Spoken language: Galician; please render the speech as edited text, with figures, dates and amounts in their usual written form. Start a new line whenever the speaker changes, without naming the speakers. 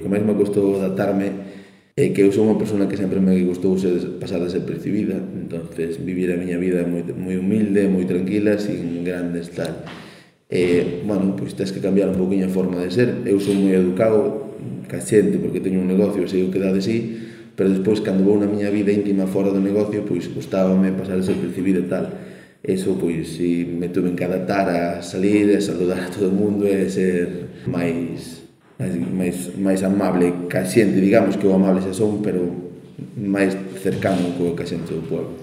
que máis me costou adaptarme é que eu sou unha persona que sempre me gustou pasar desapercibida, entonces vivir a miña vida moi humilde, moi tranquila, sin grandes tal. Bueno, pois tens que cambiar un poquinho a forma de ser. Eu sou moi educado ca xente porque teño un negocio e sei o que dá de sí, pero despois, cando vou na miña vida íntima fora do negocio, pois gustábame pasar desapercibido e tal. Eso, pois, si me tuve que adaptar a salir e saludar a todo o mundo e ser máis amable ca xente, digamos que o amable xa son, pero máis cercano co ca xente do pueblo.